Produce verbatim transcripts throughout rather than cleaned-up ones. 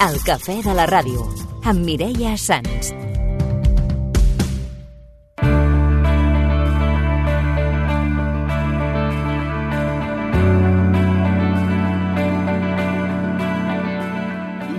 El cafè de la ràdio, amb Mireia Sans.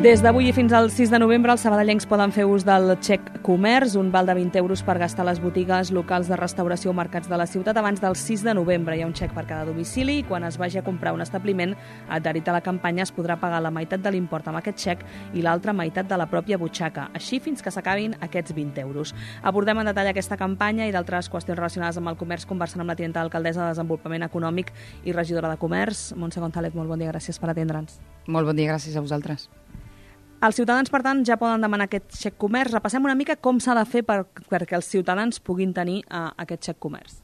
Des d'avui i fins al sis de novembre, els sabadellencs poden fer ús del xec comerç, un val de vint euros per gastar a les botigues, locals de restauració o mercats de la ciutat abans del sis de novembre. Hi ha un xec per cada domicili i quan es vagi a comprar un establiment adherit a la campanya es podrà pagar la meitat de l'import amb aquest xec i l'altra meitat de la pròpia butxaca, així fins que s'acabin aquests vint euros. Abordem en detall aquesta campanya i d'altres qüestions relacionades amb el comerç conversant amb la tinenta d'alcaldessa de Desenvolupament Econòmic i regidora de Comerç, Montse González. Molt bon dia, gràcies per atendre'ns. Molt bon dia, gràcies a vosaltres. Els ciutadans, per tant, ja poden demanar aquest xec comerç. Repassem una mica com s'ha de fer per, perquè els ciutadans puguin tenir uh, aquest xec comerç.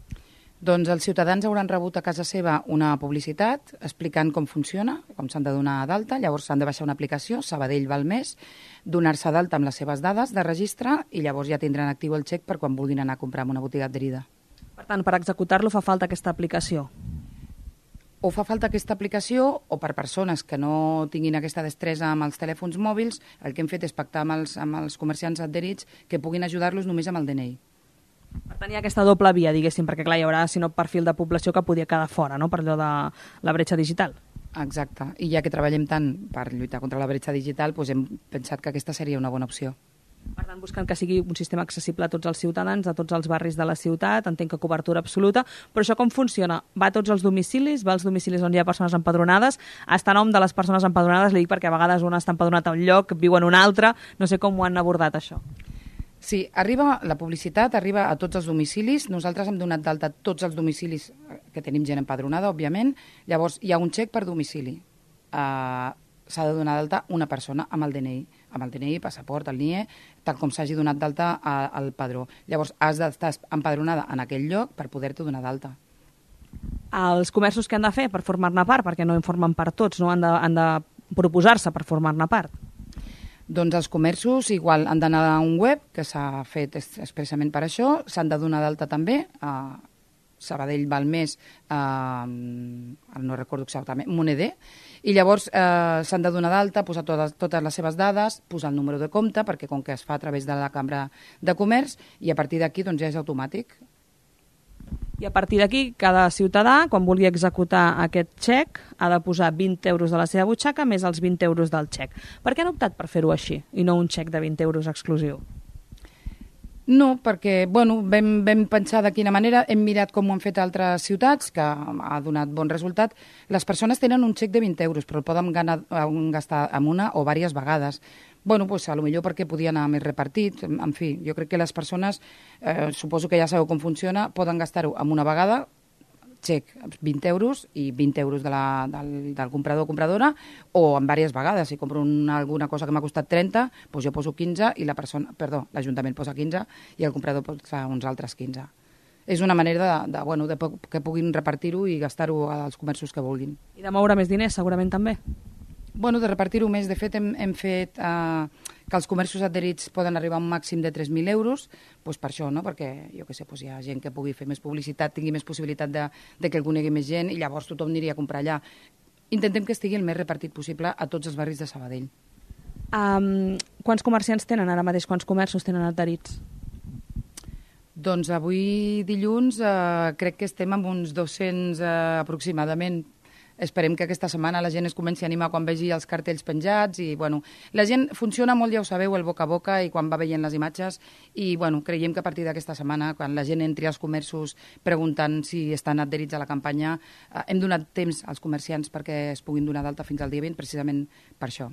Doncs els ciutadans hauran rebut a casa seva una publicitat explicant com funciona, com s'han de donar d'alta. Llavors s'han de baixar una aplicació, Sabadell val més, donar-se d'alta amb les seves dades de registre i llavors ja tindran actiu el xec per quan vulguin anar a comprar en una botiga adherida. Per tant, per executar-lo fa falta aquesta aplicació. O fa falta aquesta aplicació, o per persones que no tinguin aquesta destresa amb els telèfons mòbils, el que hem fet és pactar amb els, amb els comerciants adherits que puguin ajudar-los només amb el D N I. Per tant, hi ha aquesta doble via, diguéssim, perquè clar, hi haurà, si no, perfil de població que podia quedar fora, no?, per allò de la bretxa digital. Exacte, i ja que treballem tant per lluitar contra la bretxa digital, doncs hem pensat que aquesta seria una bona opció. Per tant, buscant que sigui un sistema accessible a tots els ciutadans, a tots els barris de la ciutat, entenc que cobertura absoluta, però això com funciona? Va a tots els domicilis, va als domicilis on hi ha persones empadronades, està a nom de les persones empadronades, li dic perquè a vegades un està empadronat a un lloc, viu en un altre, no sé com ho han abordat això. Sí, arriba la publicitat, arriba a tots els domicilis, nosaltres hem donat d'alta tots els domicilis que tenim gent empadronada, òbviament, llavors hi ha un xec per domicili. Uh, s'ha de donar d'alta una persona amb el D N I, amb el D N I, passaport, el N I E, tal com s'hagi donat d'alta al padró. Llavors, has d'estar empadronada en aquell lloc per poder-te donar d'alta. Els comerços que han de fer per formar-ne part, perquè no en formen part tots, no han de, han de proposar-se per formar-ne part? Doncs els comerços igual han d'anar a un web que s'ha fet expressament per això, s'han de donar d'alta també a Sabadell val més, eh, no recordo exactament, Moneder, i llavors eh, s'han de donar d'alta, posar totes, totes les seves dades, posar el número de compte, perquè com que es fa a través de la Cambra de Comerç, i a partir d'aquí doncs, ja és automàtic. I a partir d'aquí, cada ciutadà, quan vulgui executar aquest xec, ha de posar vint euros de la seva butxaca més els vint euros del xec. Per què han optat per fer-ho així, i no un xec de vint euros exclusiu? No, perquè bueno, vam, vam pensar de quina manera, hem mirat com ho han fet altres ciutats, que ha donat bon resultat. Les persones tenen un xec de vint euros, però el poden ganar, gastar amb una o diverses vegades. Bueno, pues, a lo millor perquè podia anar més repartit. En fi, jo crec que les persones, eh, suposo que ja sabeu com funciona, poden gastar-ho amb una vegada, xec, vint euros i vint euros de la, del, del comprador o compradora, o en diverses vegades. Si compro una, alguna cosa que m'ha costat trenta, doncs jo poso quinze i la persona, perdó, l'Ajuntament posa quinze i el comprador posa uns altres quinze. És una manera de, de, bueno, de que puguin repartir-ho i gastar-ho als comerços que vulguin. I de moure més diners, segurament també? Bueno, de repartir-ho més. De fet, hem, hem fet eh, que els comerços adherits poden arribar a un màxim de tres mil euros, doncs per això, no? Perquè jo què sé, doncs hi ha gent que pugui fer més publicitat, tingui més possibilitat de, de que el conegui més gent i llavors tothom aniria a comprar allà. Intentem que estigui el més repartit possible a tots els barris de Sabadell. Um, quants comerciants tenen ara mateix? Quants comerços tenen adherits? Doncs avui dilluns eh, crec que estem amb uns dos-cents eh, aproximadament. Esperem que aquesta setmana la gent es comenci a animar quan vegi els cartells penjats i, bueno, la gent funciona molt, ja ho sabeu, el boca a boca i quan va veient les imatges i, bueno, creiem que a partir d'aquesta setmana, quan la gent entri als comerços preguntant si estan adherits a la campanya, eh, hem donat temps als comerciants perquè es puguin donar d'alta fins al dia vint, precisament per això.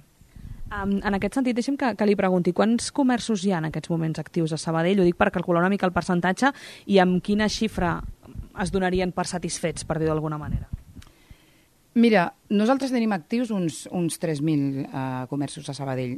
Um, en aquest sentit, deixem que, que li pregunti, quants comerços hi ha en aquests moments actius a Sabadell? Ho dic per calcular una mica el percentatge i amb quina xifra es donarien per satisfets, per dir d'alguna manera. Mira, nosaltres tenim actius uns, uns tres mil eh, comerços a Sabadell.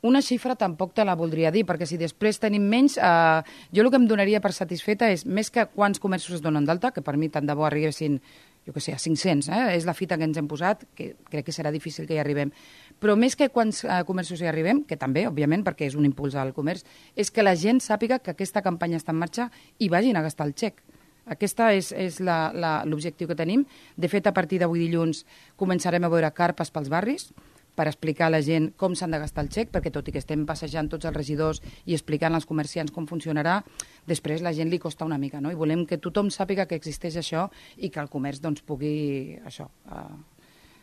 Una xifra tampoc te la voldria dir, perquè si després tenim menys, eh, jo el que em donaria per satisfeta és més que quants comerços es donen d'alta, que per mi tant de bo arribessin, jo què sé, a cinc-cents, eh? És la fita que ens hem posat, que crec que serà difícil que hi arribem. Però més que quants eh, comerços hi arribem, que també, òbviament, perquè és un impuls al comerç, és que la gent sàpiga que aquesta campanya està en marxa i vagin a gastar el xec. Aquesta és, és l'objectiu que tenim. De fet, a partir d'avui dilluns començarem a veure carpes pels barris per explicar a la gent com s'han de gastar el xec, perquè tot i que estem passejant tots els regidors i explicant als comerciants com funcionarà, després la gent li costa una mica, no? I volem que tothom sàpiga que existeix això i que el comerç doncs, pugui això, uh,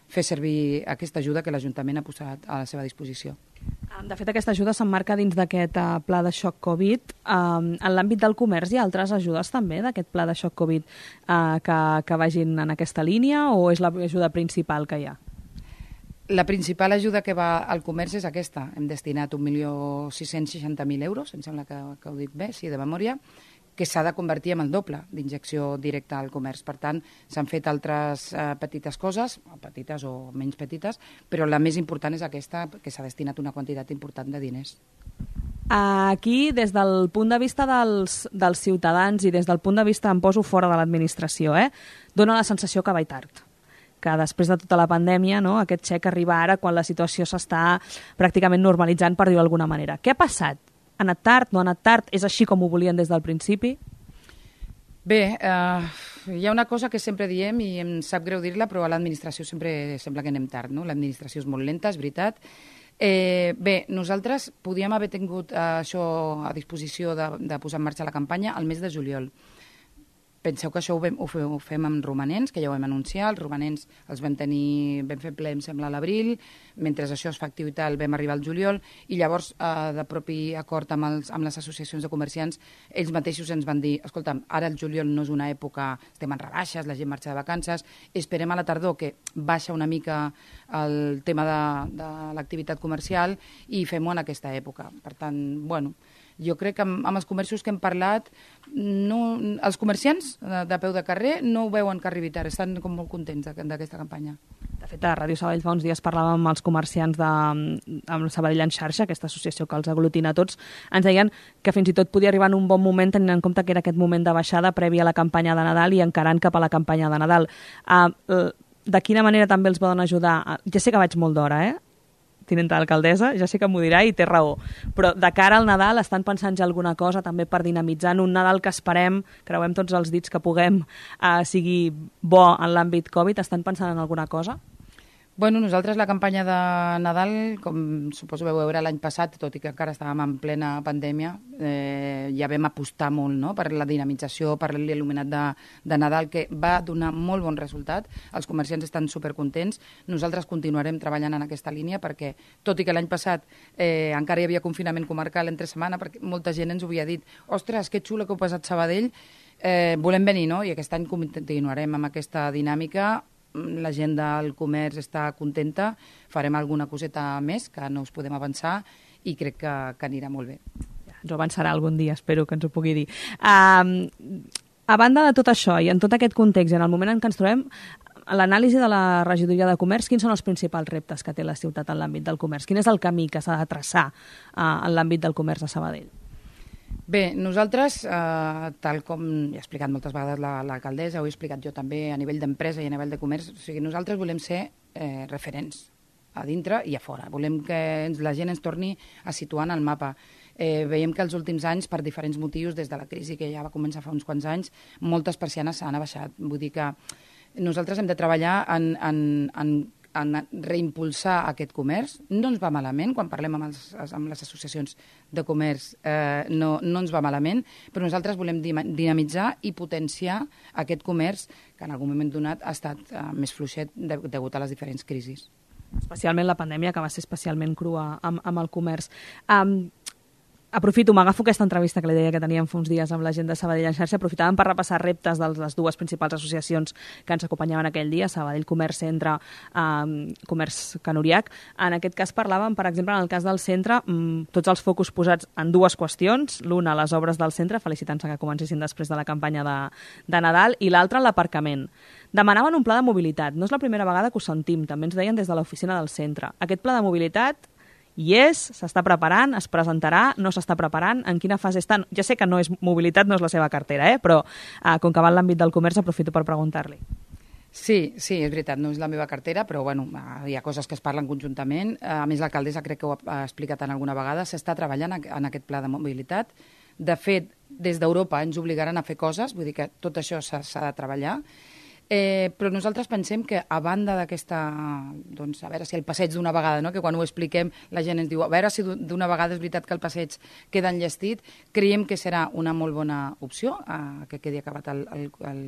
fer servir aquesta ajuda que l'Ajuntament ha posat a la seva disposició. De fet, aquesta ajuda s'emmarca dins d'aquest uh, pla de xoc Covid. Um, en l'àmbit del comerç hi ha altres ajudes també d'aquest pla de xoc Covid uh, que, que vagin en aquesta línia o és l'ajuda principal que hi ha? La principal ajuda que va al comerç és aquesta. Hem destinat un milió sis-cents seixanta mil euros, em sembla que, que ho dic bé, sí, de memòria, que s'ha de convertir en el doble d'injecció directa al comerç. Per tant, s'han fet altres eh, petites coses, petites o menys petites, però la més important és aquesta, que s'ha destinat una quantitat important de diners. Aquí, des del punt de vista dels, dels ciutadans i des del punt de vista, em poso fora de l'administració, eh, dona la sensació que va tard, que després de tota la pandèmia, no, aquest xec arriba ara quan la situació s'està pràcticament normalitzant, per dir-ho d'alguna manera. Què ha passat? Ha anat tard? No ha anat tard? És així com ho volien des del principi? Bé, eh, hi ha una cosa que sempre diem i em sap greu dir-la, però a l'administració sempre sembla que anem tard, no? L'administració és molt lenta, és veritat. Eh, bé, nosaltres podíem haver tingut eh, això a disposició de, de posar en marxa la campanya al mes de juliol. Penseu que això ho, vam, ho, fem, ho fem amb romanents, que ja ho vam anunciar. Els romanents els vam tenir, vam fer ple, em sembla, a l'abril. Mentre això es fa activitat, vam arribar al juliol. I llavors, eh, de propi acord amb, els, amb les associacions de comerciants, ells mateixos ens van dir, escolta'm, ara el juliol no és una època, estem en rebaixes, la gent marxa de vacances, esperem a la tardor, que baixa una mica el tema de, de l'activitat comercial, i fem-ho en aquesta època. Per tant, bueno, jo crec que amb, amb els comerços que hem parlat, no, els comerciants de, de peu de carrer no ho veuen que arribi tard, estan com molt contents d'aquesta campanya. De fet, a Ràdio Sabadell fa uns dies parlàvem amb els comerciants de amb Sabadell en xarxa, aquesta associació que els aglutina tots, ens deien que fins i tot podia arribar en un bon moment tenint en compte que era aquest moment de baixada prèvia a la campanya de Nadal i encarant cap a la campanya de Nadal. Uh, de quina manera també els poden ajudar? Ja sé que vaig molt d'hora, eh? Tinenta d'alcaldessa, ja sé que m'ho dirà i té raó, però de cara al Nadal estan pensant ja alguna cosa també per dinamitzar en un Nadal que esperem, creuem tots els dits que puguem, eh, sigui bo en l'àmbit Covid, estan pensant en alguna cosa? Bueno, nosaltres la campanya de Nadal, com suposo vau veure l'any passat, tot i que encara estàvem en plena pandèmia, eh, ja vam apostar molt, no?, per la dinamització, per l'il·luminat de, de Nadal, que va donar molt bon resultat. Els comerciants estan supercontents. Nosaltres continuarem treballant en aquesta línia perquè, tot i que l'any passat eh, encara hi havia confinament comarcal entre setmana, perquè molta gent ens ho havia dit, ostres, que xulo que heu passat Sabadell, eh, volem venir, no?, i aquest any continuarem amb aquesta dinàmica. La gent del comerç està contenta, farem alguna coseta més que no us podem avançar i crec que, que anirà molt bé. Ja, ens ho avançarà algun dia, espero que ens ho pugui dir. Um, a banda de tot això i en tot aquest context, en el moment en què ens trobem, l'anàlisi de la regidoria de comerç, quins són els principals reptes que té la ciutat en l'àmbit del comerç? Quin és el camí que s'ha de traçar uh, en l'àmbit del comerç a Sabadell? Bé, nosaltres, eh, tal com he explicat moltes vegades l'alcaldessa, ho he explicat jo també a nivell d'empresa i a nivell de comerç, o sigui, nosaltres volem ser eh, referents a dintre i a fora. Volem que ens, la gent ens torni a situar en el mapa. Eh, veiem que els últims anys, per diferents motius, des de la crisi que ja va començar fa uns quants anys, moltes persianes s'han abaixat. Vull dir que nosaltres hem de treballar en, en, en en reimpulsar aquest comerç. No ens va malament, quan parlem amb, els, amb les associacions de comerç eh, no, no ens va malament, però nosaltres volem dinamitzar i potenciar aquest comerç que en algun moment donat ha estat eh, més fluixet de, degut a les diferents crisis. Especialment la pandèmia, que va ser especialment crua amb, amb el comerç. Um, Aprofito, m'agafo aquesta entrevista que li deia que teníem fa uns dies amb la gent de Sabadell en xarxa, aprofitàvem per repassar reptes de les dues principals associacions que ens acompanyaven aquell dia, Sabadell Comerç Centre, eh, Comerç Can Uriach. En aquest cas parlàvem, per exemple, en el cas del centre, mmm, tots els focus posats en dues qüestions, l'una, les obres del centre, felicitant-se que comencessin després de la campanya de, de Nadal, i l'altra, l'aparcament. Demanaven un pla de mobilitat. No és la primera vegada que ho sentim, també ens deien des de l'oficina del centre. Aquest pla de mobilitat hi és, s'està preparant, es presentarà, no s'està preparant, en quina fase estan? Ja sé que no és mobilitat, no és la seva cartera, eh? Però eh, com que va en l'àmbit del comerç, aprofito per preguntar-li. Sí, sí, és veritat, no és la meva cartera, però bueno, hi ha coses que es parlen conjuntament. A més, l'alcaldessa crec que ho ha explicat en alguna vegada, s'està treballant en aquest pla de mobilitat. De fet, des d'Europa ens obligaran a fer coses, vull dir que tot això s'ha de treballar. Eh, però nosaltres pensem que a banda d'aquesta, doncs a veure si el passeig d'una vegada, no? Que quan ho expliquem la gent ens diu a veure si d'una vegada és veritat que el passeig queda enllestit, creiem que serà una molt bona opció eh, que quedi acabat el, el, el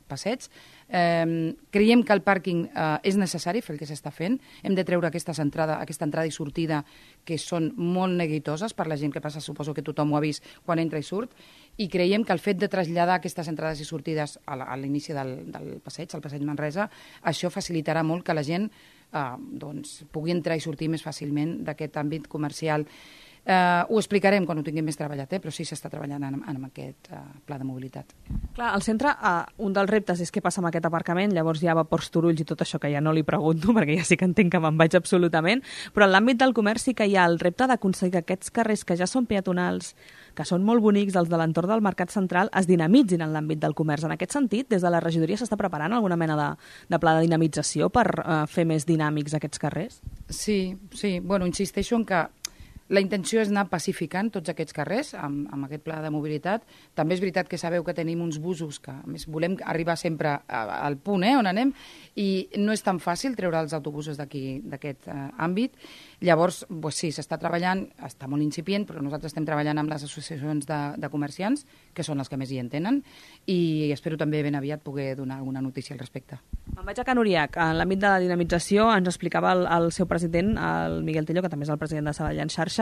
passeig. Eh, creiem que el pàrquing eh, és necessari fer el que s'està fent. Hem de treure aquesta entrada, aquesta entrada i sortida que són molt neguitoses per la gent que passa, suposo que tothom ho ha vist quan entra i surt, i creiem que el fet de traslladar aquestes entrades i sortides a l'inici del, del passeig, al passeig Manresa, això facilitarà molt que la gent eh, doncs, pugui entrar i sortir més fàcilment d'aquest àmbit comercial. Uh, ho explicarem quan ho tinguem més treballat, eh? Però sí s'està treballant en, en aquest uh, pla de mobilitat. Clar, al centre, uh, un dels reptes és què passa amb aquest aparcament, llavors hi ha vapors, torulls i tot això que ja no li pregunto, perquè ja sí que entenc que me'n vaig absolutament, però en l'àmbit del comerç sí que hi ha el repte d'aconseguir que aquests carrers que ja són peatonals, que són molt bonics, els de l'entorn del Mercat Central, es dinamitzin en l'àmbit del comerç. En aquest sentit, des de la regidoria s'està preparant alguna mena de, de pla de dinamització per uh, fer més dinàmics aquests carrers? Sí, sí. Bueno, insisteixo en que la intenció és anar pacificant tots aquests carrers amb, amb aquest pla de mobilitat. També és veritat que sabeu que tenim uns busos que, a més, volem arribar sempre a, al punt eh, on anem, i no és tan fàcil treure els autobusos d'aquí, d'aquest eh, àmbit. Llavors, pues sí, s'està treballant, està molt incipient, però nosaltres estem treballant amb les associacions de, de comerciants, que són les que més hi entenen, i espero també ben aviat poder donar alguna notícia al respecte. Me'n vaig a Can Uriac. En l'àmbit de la dinamització ens explicava el, el seu president, el Miguel Tello, que també és el president de Sabadell en xarxa,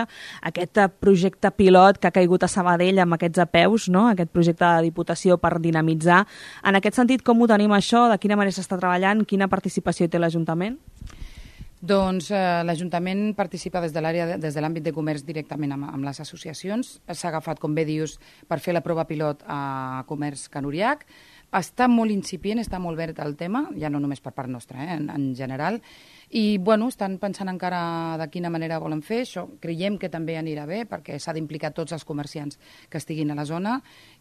aquest projecte pilot que ha caigut a Sabadell amb aquests apeus, no? Aquest projecte de Diputació per dinamitzar. En aquest sentit, com ho tenim això? De quina manera s'està treballant? Quina participació té l'Ajuntament? Doncs eh, l'Ajuntament participa des de l'àrea, des de l'àmbit de comerç directament amb, amb les associacions. S'ha agafat, com bé dius, per fer la prova pilot a Comerç Can Uriac. Està molt incipient, està molt verd el tema, ja no només per part nostra, eh, en, en general, i bueno, estan pensant encara de quina manera volen fer això. Creiem que també anirà bé, perquè s'ha d'implicar tots els comerciants que estiguin a la zona,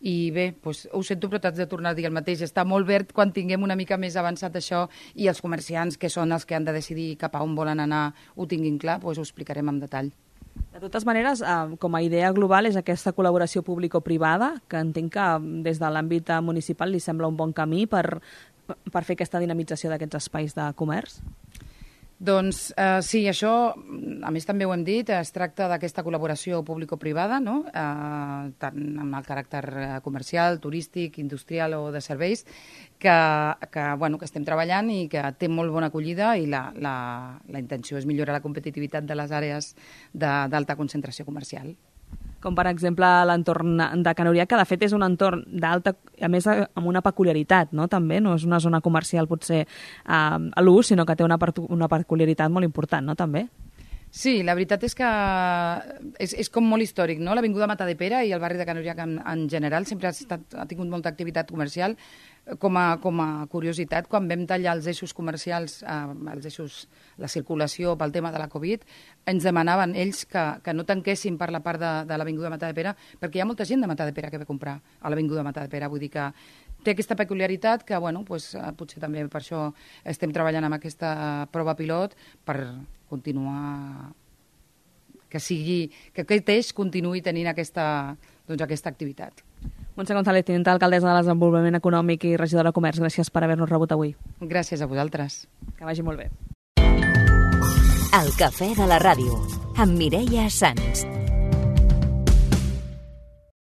i bé, doncs, ho sento, però t'haig de tornar a dir el mateix. Està molt verd quan tinguem una mica més avançat això, i els comerciants, que són els que han de decidir cap a on volen anar, ho tinguin clar, doncs ho explicarem en detall. De totes maneres, eh, com a idea global és aquesta col·laboració público-privada, que entenc que des de l'àmbit municipal li sembla un bon camí per, per fer aquesta dinamització d'aquests espais de comerç? Doncs eh, sí, això, a més també ho hem dit, es tracta d'aquesta col·laboració público-privada, no? eh, tant amb el caràcter comercial, turístic, industrial o de serveis, que, que, bueno, que estem treballant i que té molt bona acollida, i la, la, la intenció és millorar la competitivitat de les àrees d'alta concentració comercial. Com per exemple l'entorn de Can Uriac, que de fet és un entorn d'alta, a més amb una peculiaritat, no? També no és una zona comercial potser eh, a l'ús, sinó que té una, una peculiaritat molt important, no? També. Sí, la veritat és que és, és com molt històric, no? L'Avinguda Matadepera i el barri de Can Uriac en, en general sempre ha, estat, ha tingut molta activitat comercial. Com a, com a curiositat, quan vam tallar els eixos comercials, eh, els eixos, la circulació pel tema de la Covid, ens demanaven ells que, que no tanquessin per la part de, de l'Avinguda Matadepera, perquè hi ha molta gent de Matadepera que ve a comprar a l'Avinguda Matadepera. Vull dir que té aquesta peculiaritat que, bueno, pues, potser també per això estem treballant amb aquesta prova pilot per continuar, que sigui, que aquest eix continuï tenint aquesta, doncs, aquesta activitat. Montse González, tinenta alcaldessa de Desenvolupament Econòmic i regidora de Comerç, gràcies per haver-nos rebut avui. Gràcies a vosaltres. Que vagi molt bé. El cafè de la ràdio, amb Mireia Sans.